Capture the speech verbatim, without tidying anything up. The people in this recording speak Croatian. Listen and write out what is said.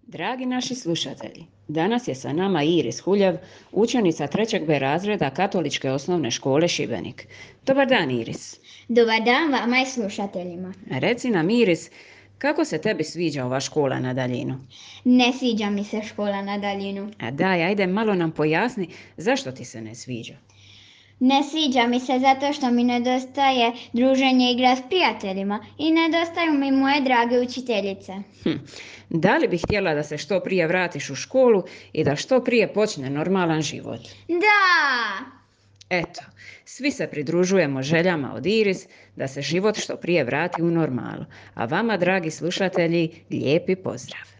Dragi naši slušatelji, danas je sa nama Iris Huljev, učenica trećeg B razreda Katoličke osnovne škole Šibenik. Dobar dan, Iris. Dobar dan vama i slušateljima. Reci nam, Iris, kako se tebi sviđa ova škola na daljinu? Ne sviđa mi se škola na daljinu. A daj, ajde malo nam pojasni zašto ti se ne sviđa. Ne sviđa mi se zato što mi nedostaje druženje i igra s prijateljima i nedostaju mi moje drage učiteljice. Hm. Da li bi htjela da se što prije vratiš u školu i da što prije počne normalan život? Da! Eto, svi se pridružujemo željama od Iris da se život što prije vrati u normalu. A vama, dragi slušatelji, lijepi pozdrav.